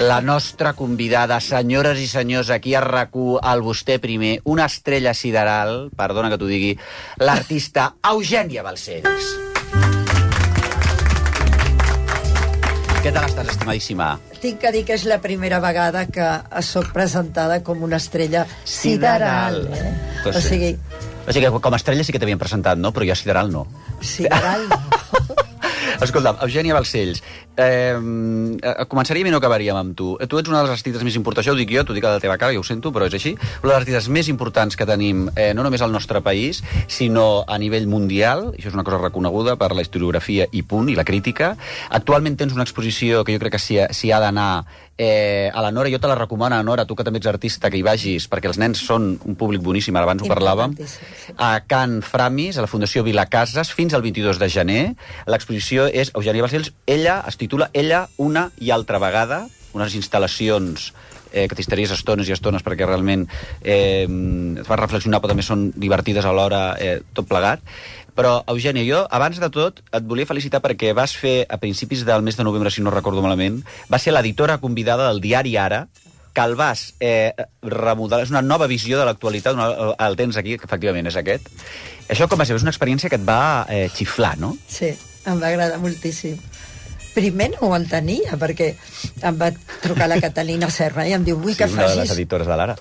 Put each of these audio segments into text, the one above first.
la nostra convidada, senyores i senyors, aquí a RAC1, al Vostè Primer, una estrella sideral, perdona que t'ho digui, l'artista Eugènia Balcells. Què tal estàs, estimadíssima? Tinc que dir que és la primera vegada que soc presentada com una estrella sideral. Pues o sigui, com a estrella sí que t'havien presentat, no? Però ja sideral no. Sideral no. Escolta'm, Eugènia Balcells, començaríem i no acabaríem amb tu. Tu ets una de les artistes més importants, això ho dic jo, t'ho dic a la teva cara, ja ho sento, però és així. Una de les artistes més importants que tenim, no només al nostre país, sinó a nivell mundial. Això és una cosa reconeguda per la historiografia i punt, i la crítica. Actualment tens una exposició que jo crec que s'hi ha d'anar a la Nora. Jo te la recomano, Nora, tu que també ets artista, que hi vagis, perquè els nens són un públic boníssim, abans ho parlàvem. A Can Framis, a la Fundació Vilacases, fins al 22 de gener. L'exposició és Eugènia Balcells. Ella es titula Ella, una i altra vegada, unes instal·lacions que t'histaries estones i estones perquè realment et fan reflexionar, però també són divertides alhora, tot plegat. Però, Eugènia, jo, abans de tot, et volia felicitar perquè vas fer, a principis del mes de novembre, si no recordo malament, vas ser l'editora convidada del diari Ara, que el vas remodelar. És una nova visió de l'actualitat, el tens aquí, que efectivament és aquest. Això com va ser? És una experiència que et va xiflar, no? Sí, em va agradar moltíssim. Primer no ho entenia, perquè em va trucar la Catalina Serra i em diu, vull que facis... una de les editores de l'Ara.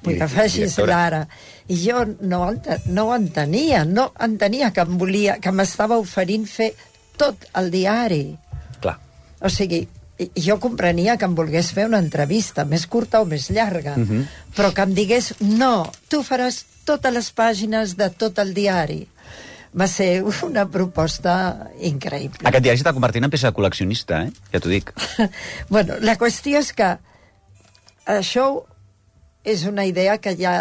Vull que facis l'Ara. I jo no ho entenia, no entenia que em volia, que m'estava oferint fer tot el diari. Clar. O sigui, jo comprenia que em volgués fer una entrevista, més curta o més llarga, però que em digués, no, tu faràs totes les pàgines de tot el diari. Va ser una proposta increïble. Aquest diari s'està convertint en peça de col·leccionista, ja t'ho dic. Bueno, la qüestió és que això és una idea que ja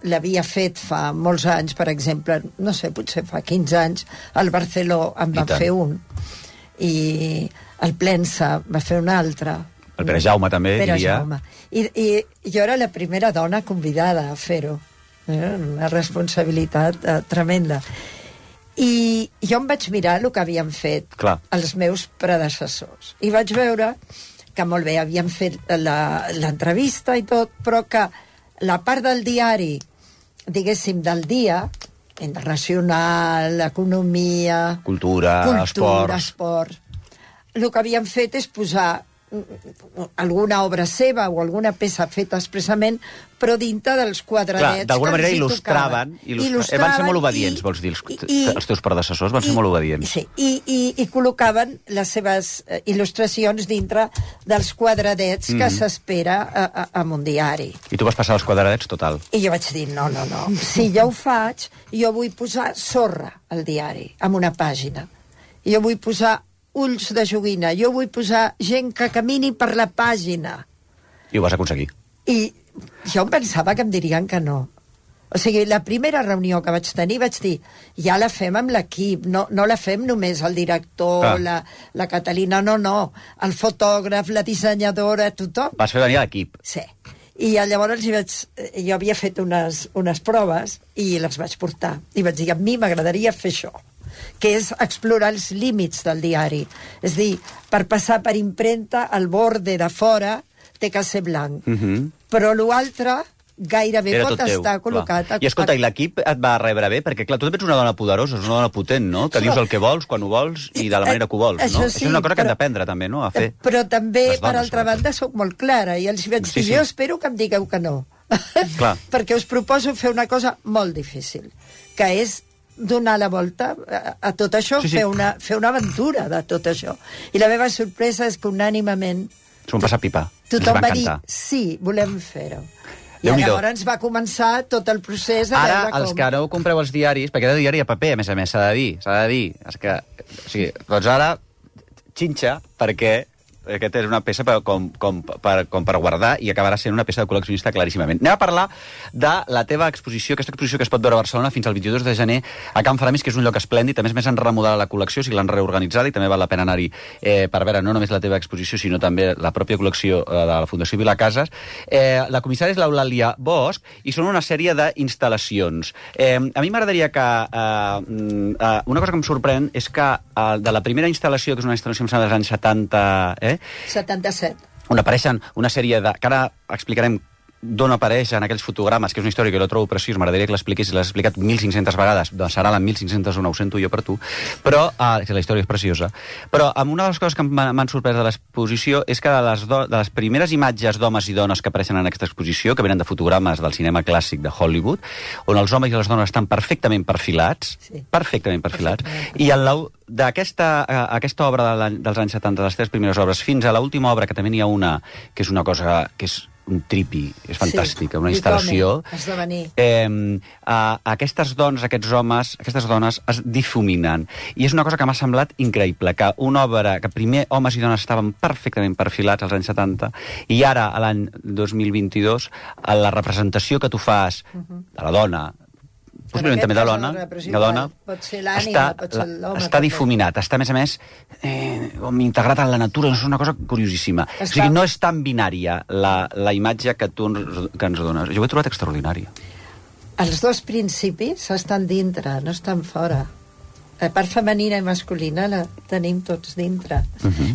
l'havia fet fa molts anys, per exemple, no sé, potser fa 15 anys, el Barceló en va fer un, i el Plensa va fer un altre. El Pere Jaume també, diria. Jaume. I jo era la primera dona convidada a fer-ho. Una responsabilitat tremenda. I jo em vaig mirar el que havien fet els meus predecessors. I vaig veure que molt bé, havien fet l'entrevista i tot, però que la part del diari, diguéssim, del dia, internacional, economia... Cultura, esports... El que havien fet és posar alguna obra seva o alguna peça feta expressament, però dintre dels quadradets. D'alguna manera il·lustraven. Van ser molt obedients, vols dir, els teus predecessors van ser molt obedients. Sí, i col·locaven les seves il·lustracions dintre dels quadradets que s'espera en un diari. I tu vas passar els quadradets total. I jo vaig dir, no. Si jo ho faig, jo vull posar sorra al diari, en una pàgina. Jo vull posar ulls de joguina, jo vull posar gent que camini per la pàgina. I ho vas aconseguir. I jo em pensava que em dirien que no. O sigui, la primera reunió que vaig tenir vaig dir, ja la fem amb l'equip, no la fem només el director, la Catalina, no. El fotògraf, la dissenyadora, tothom. Vas fer venir l'equip. Sí. I llavors jo havia fet unes proves i les vaig portar. I vaig dir, a mi m'agradaria fer això, que és explorar els límits del diari. És dir, per passar per impremta, el borde de fora té que ser blanc. Però l'altre gairebé pot estar col·locat... I escolta, i l'equip et va rebre bé? Perquè, clar, tu ets una dona poderosa, és una dona potent, no? Que dius el que vols, quan ho vols i de la manera que ho vols, no? Això és una cosa que hem d'aprendre, també, no? A fer. Però també, per altra banda, sóc molt clara, i els vaig dir, jo espero que em digueu que no. Perquè us proposo fer una cosa molt difícil, que és donar la volta a tot això, fer una aventura de tot això. I la meva sorpresa és que unànimament s'ho van passar pipa. Tothom va dir, sí, volem fer-ho. I llavors va començar tot el procés de veure com... Ara, els que no compreu els diaris, perquè cada diari a paper, a més, s'ha de dir. O sigui, doncs ara, xinxa, perquè aquesta és una peça com per guardar i acabarà sent una peça de col·leccionista claríssimament. Anem a parlar de la teva exposició, aquesta exposició que es pot veure a Barcelona fins al 22 de gener a Can Framis, que és un lloc esplèndid. A més han remodelat la col·lecció, si l'han reorganitzada, i també val la pena anar-hi per veure no només la teva exposició, sinó també la pròpia col·lecció de la Fundació Vilacases. La comissària és l'Eulàlia Bosch i són una sèrie d'instal·lacions. A mi m'agradaria que... una cosa que em sorprèn és que de la primera instal·lació, que és una instal·lació dels anys 70... 77. on apareixen una sèrie de... que ara explicarem d'on apareix en aquells fotogrames, que és una història que jo trobo preciós, m'agradaria que l'expliquis, si l'has explicat 1.500 vegades, doncs serà la 1.501, ho sento jo per tu, però la història és preciosa. Però una de les coses que m'han sorprès de l'exposició és que de les primeres imatges d'homes i dones que apareixen en aquesta exposició, que venen de fotogrames del cinema clàssic de Hollywood, on els homes i les dones estan perfectament perfilats, i d'aquesta obra dels anys 70, de les 3 primeres obres, fins a l'última obra, que també n'hi ha una, que és una cosa que és un tripi, és fantàstica, una instal·lació. Aquestes dones, aquests homes, aquestes dones es difuminen. I és una cosa que m'ha semblat increïble, que una obra que primer homes i dones estaven perfectament perfilats als anys 70, i ara, a l'any 2022, la representació que tu fas de la dona, possiblement també de la dona, està difuminat, està, a més, integrat en la natura, és una cosa curiosíssima. O sigui, no és tan binària la imatge que tu ens dones. Jo ho he trobat extraordinària. Els dos principis estan dintre, no estan fora. La part femenina i masculina la tenim tots dintre.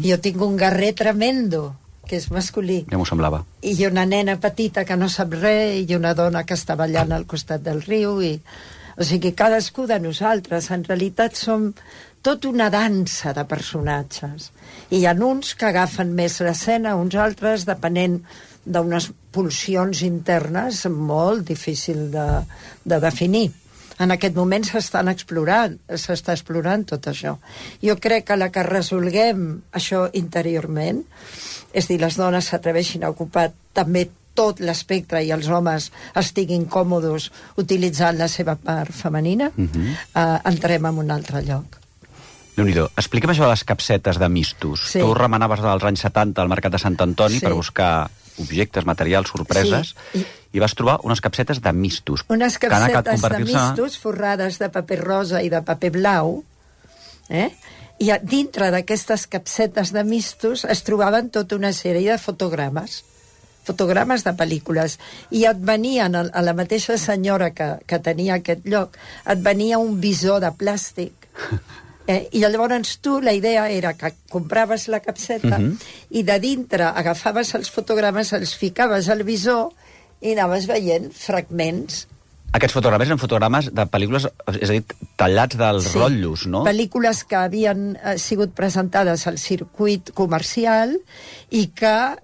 Jo tinc un guerrer tremendo, que és masculí. Ja m'ho semblava. I una nena petita que no sap res, i una dona que està ballant al costat del riu, o sigui, cadascú de nosaltres, en realitat, som tot una dansa de personatges. I hi ha uns que agafen més l'escena, uns altres, depenent d'unes pulsions internes molt difícil de definir. En aquest moment s'està explorant tot això. Jo crec que la que resolguem això interiorment, és dir, les dones s'atreveixin a ocupar també tot l'espectre i els homes estiguin còmodes utilitzant la seva part femenina, entrem en un altre lloc. Déu-n'hi-do. Explica'm això de les capsetes de mistos. Tu remenaves dels anys 70 al mercat de Sant Antoni per buscar objectes, materials, sorpreses, i vas trobar unes capsetes de mistos. Unes capsetes de mistos forrades de paper rosa i de paper blau, i dintre d'aquestes capsetes de mistos es trobaven tota una sèrie de fotogrames de pel·lícules, i et venien, a la mateixa senyora que tenia aquest lloc, et venia un visor de plàstic, i llavors tu, la idea era que compraves la capseta i de dintre agafaves els fotogrames, els ficaves al visor i anaves veient fragments. Aquests fotogrames eren fotogrames de pel·lícules, és a dir, tallats dels rotllos, no? Pel·lícules que havien sigut presentades al circuit comercial i que,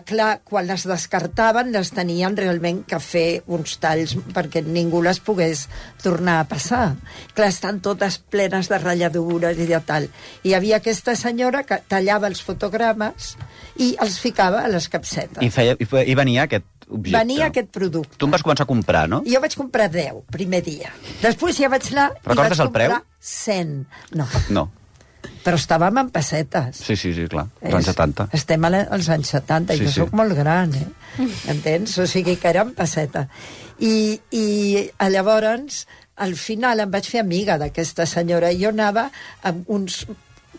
clar, quan les descartaven les tenien realment que fer uns talls perquè ningú les pogués tornar a passar. Clar, estan totes plenes de ratlladures i de tal. I hi havia aquesta senyora que tallava els fotogrames i els ficava a les capsetes. I venia aquest objecte. Venia aquest producte. Tu em vas començar a comprar, no? Jo vaig comprar 10, primer dia. Després ja vaig anar i vaig comprar 100. No. Però estàvem en pessetes. Sí, clar, als anys 70. Estem als anys 70, i jo soc molt gran, entens? O sigui que era en pesseta. I llavors, al final em vaig fer amiga d'aquesta senyora, i jo anava amb uns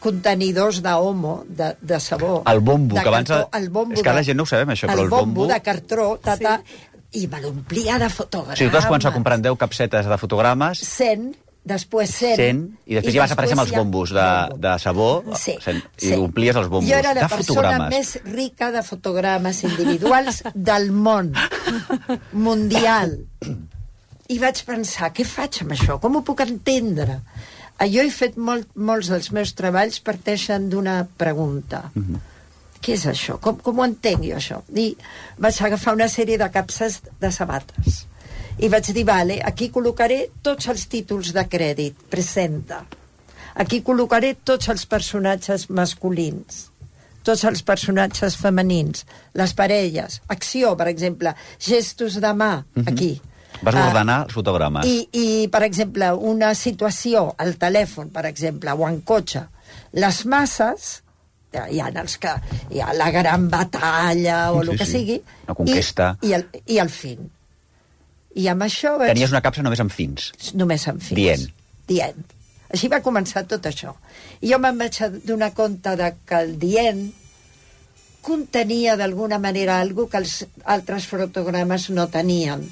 contenidors d'homo, de sabó. El bombo, que abans... És que la gent no ho sabem, això, però el bombo... de cartró, i me l'omplia de fotogrames. Sí, tu vas començar a comprar 10 capsetes de fotogrames... 100, després 100... I després ja vas aparèixer amb els bombos de sabó, i omplies els bombos de fotogrames. Jo era la persona més rica de fotogrames individuals del món, mundial. I vaig pensar, què faig amb això? Com ho puc entendre? Jo he fet molts dels meus treballs parteixen d'una pregunta. Què és això? Com ho entenc jo, això? I vaig agafar una sèrie de capses de sabates. I vaig dir, vale, aquí col·locaré tots els títols de crèdit, presenta. Aquí col·locaré tots els personatges masculins, tots els personatges femenins, les parelles, acció, per exemple, gestos de mà, aquí. Vas ordenar els fotogrames. I, per exemple, una situació al telèfon, per exemple, o en cotxe. Les masses, hi ha els que... Hi ha la gran batalla, o el que sigui. La conquesta. I el fin. I amb això vaig... Tenies una capsa només amb fins. Només amb fins. Dient. Així va començar tot això. I jo me'n vaig donar compte que el dient contenia d'alguna manera alguna que els altres fotogrames no tenien.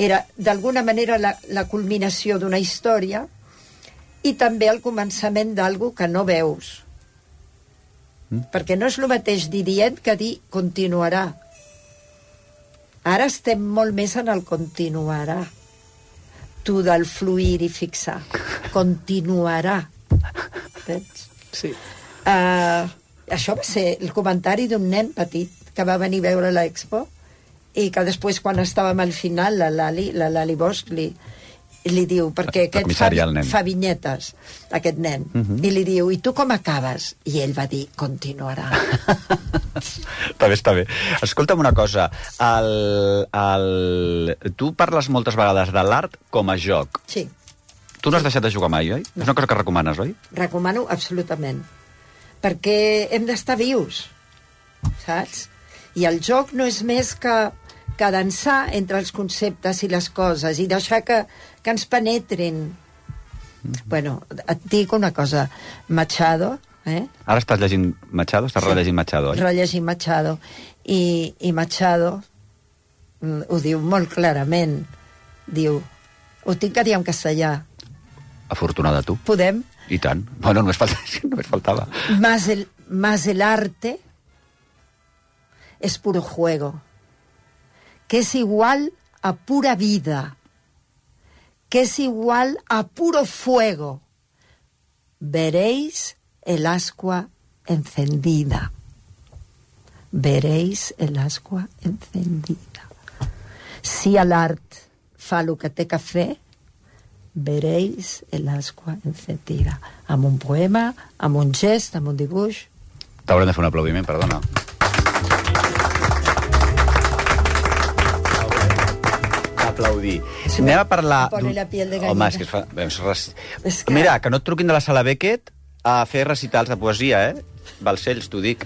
Era, d'alguna manera, la culminació d'una història i també el començament d'algú que no veus. Perquè no és el mateix dir dient que dir continuarà. Ara estem molt més en el continuarà. Tu del fluir i fixar. Continuarà. Veus? Sí. Això va ser el comentari d'un nen petit que va venir a veure l'Expo i que després, quan estàvem al final, la Lali Bosch li diu, perquè aquest fa vinyetes, aquest nen, i li diu, i tu com acabes? I ell va dir, continuarà. Està bé. Escolta'm una cosa, tu parles moltes vegades de l'art com a joc. Sí. Tu no has deixat de jugar mai, oi? No. És una cosa que recomanes, oi? Recomano absolutament. Perquè hem d'estar vius, saps? I el joc no és més que dansar entre els conceptes i les coses i deixar que ens penetrin. Bueno, et dic una cosa, Machado... Ara estàs llegint Machado? Estàs rellegint Machado, oi? Rellegint Machado. I Machado ho diu molt clarament. Diu, ho tinc que dir en castellà. Afortunada tu. Podem? I tant. Bueno, només faltava. Más el arte es puro juego, que es igual a pura vida, que es igual a puro fuego. Veréis el ascua encendida. Veréis el ascua encendida. Si l'art fa el que té que fer, veréis el ascua encendida. Amb un poema, amb un gest, amb un dibuix. T'haurem de fer un aplaudiment, perdona. Aplaudir. Anem a parlar... Pone la piel de gallina. Home, és que Mira, que no et truquin de la sala Beckett a fer recitals de poesia, Balcells, t'ho dic.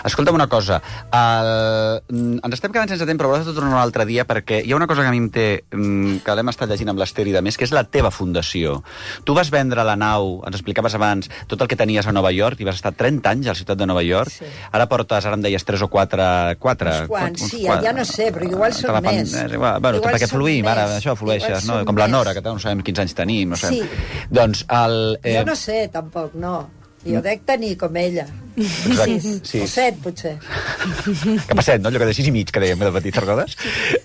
Escolta'm una cosa, ens estem quedant sense temps, però vols tornar un altre dia, perquè hi ha una cosa que a mi em té, que l'hem estat llegint amb l'Ester i de més, que és la teva fundació. Tu vas vendre la nau, ens explicaves abans, tot el que tenies a Nova York, i vas estar 30 anys a la ciutat de Nova York. Sí. Ara portes, ara em deies, 3 o 4... Uns quants, sí, ja no sé, però igual són més. Bueno, perquè fluïm, ara això flueixes, no? Com la Nora, que no sabem quins anys tenim, no sabem. Sí. Doncs jo no sé, tampoc, no. Jo dec tenir com ella. Sí. O 7, potser. Cap a 7, no? Allò que de 6 i mig, que dèiem de petit, recordes?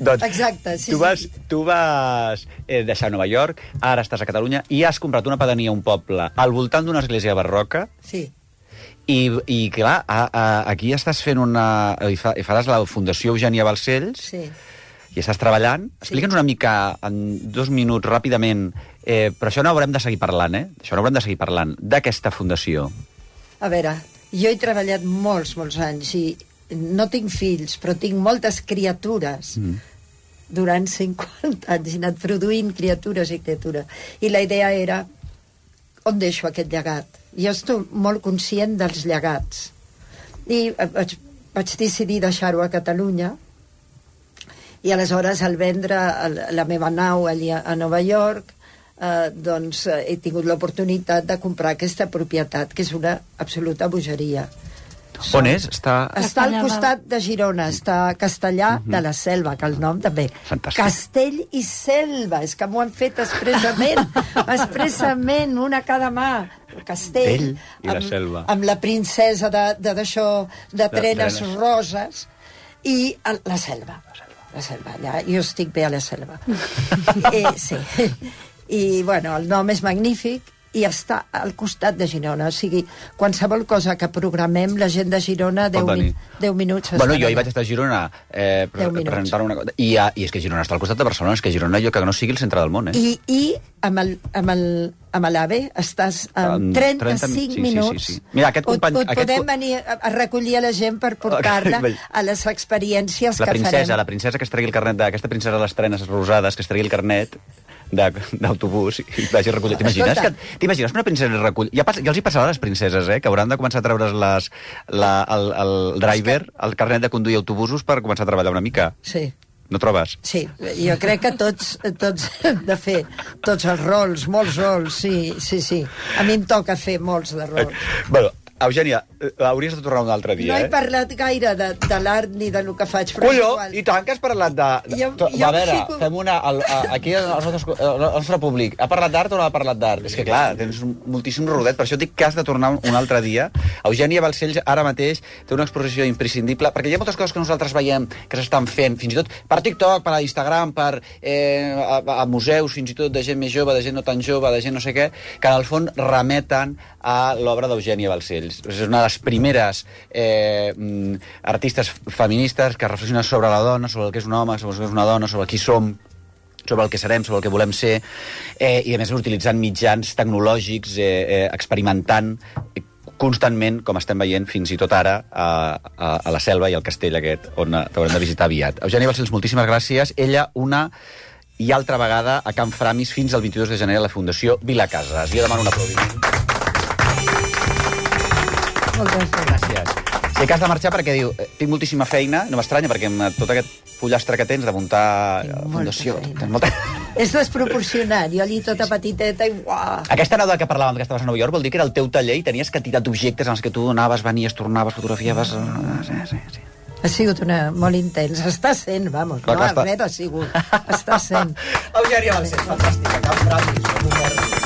Doncs, exacte, sí. Tu vas deixar Nova York, ara estàs a Catalunya, i has comprat una pedania a un poble al voltant d'una església barroca. Sí. I clar, aquí estàs fent i faràs la Fundació Eugènia Balcells. Sí. I estàs treballant. Explica'ns una mica, en 2 minuts, ràpidament, però això no haurem de seguir parlant, Això no haurem de seguir parlant, d'aquesta fundació. A veure, jo he treballat molts anys i no tinc fills, però tinc moltes criatures. Durant 50 anys he anat produint criatures i criatures. I la idea era, on deixo aquest llegat? Jo estic molt conscient dels llegats. I vaig decidir deixar-ho a Catalunya, i aleshores al vendre la meva nau allà a Nova York, doncs he tingut l'oportunitat de comprar aquesta propietat, que és una absoluta bogeria. On és? Està al costat de Girona, està a Castellà de la Selva, que el nom també. Fantàstic. Castell i Selva, és que m'ho han fet expressament, una a cada mà. Castell i la Selva. Amb la princesa d'això, de trenes roses, i la Selva. La Selva, allà. Jo estic bé a la Selva. Sí. I, bueno, el nom és magnífic i està al costat de Girona. O sigui, qualsevol cosa que programem, la gent de Girona, 10 minuts... Bueno, jo hi vaig estar a Girona presentant una cosa. I és que Girona està al costat de Barcelona, és que Girona jo que no sigui el centre del món, I amb l'AVE estàs en 35 minuts. Sí. Mira, aquest company... Podem venir a recollir a la gent per portar-la a les experiències que farem. La princesa que es tregui el carnet, aquesta princesa de les trenes rosades, que es tregui el carnet d'autobús i vagi a recollir. T'imagines que una princesa recull... Ja els hi passarà a les princeses, que hauran de començar a treure's el driver, el carnet de conduir autobusos per començar a treballar una mica. Sí. No trobes? Sí, jo crec que tots hem de fer tots els rols, molts rols, sí. A mi em toca fer molts de rols. Bueno, Eugènia, hauries de tornar un altre dia, No he parlat gaire de l'art ni del que faig, però Colló, i tant que has parlat de... A veure, fem una... Aquí el nostre públic ha parlat d'art o no ha parlat d'art? És que clar, tens moltíssim rodet, per això dic que has de tornar un altre dia. Eugènia Balcells ara mateix té una exposició imprescindible, perquè hi ha moltes coses que nosaltres veiem que s'estan fent, fins i tot per TikTok, per Instagram, a museus, fins i tot de gent més jove, de gent no tan jove, de gent no sé què, que en el fons remeten a l'obra d'Eugènia Balcells. És una de les primeres artistes feministes que reflexionen sobre la dona, sobre el que és un home, sobre el que és una dona, sobre qui som, sobre el que serem, sobre el que volem ser, i a més utilitzant mitjans tecnològics, experimentant constantment, com estem veient fins i tot ara, a la Selva i al castell aquest, on t'haurem de visitar aviat. Eugènia Balcells, moltíssimes gràcies. Ella, una i altra vegada, a Can Framis, fins al 22 de gener a la Fundació Vilacases. Jo demano un aplaudiment. Moltes gràcies. Sé que has de marxar perquè diu, tinc moltíssima feina, no m'estranya, perquè amb tot aquest pollastre que tens de muntar la fundació... És desproporcionat, jo allí tota petiteta i uah! Aquesta anècdota que parlàvem que estaves a Nova York vol dir que era el teu taller i tenies quantitat d'objectes en els que tu donaves, venies, tornaves, fotografiaves... Sí. Ha sigut molt intens. Està sent, vamos. No, res ha sigut. Està sent. Eugènia Balcells, fantàstica. Can Framis,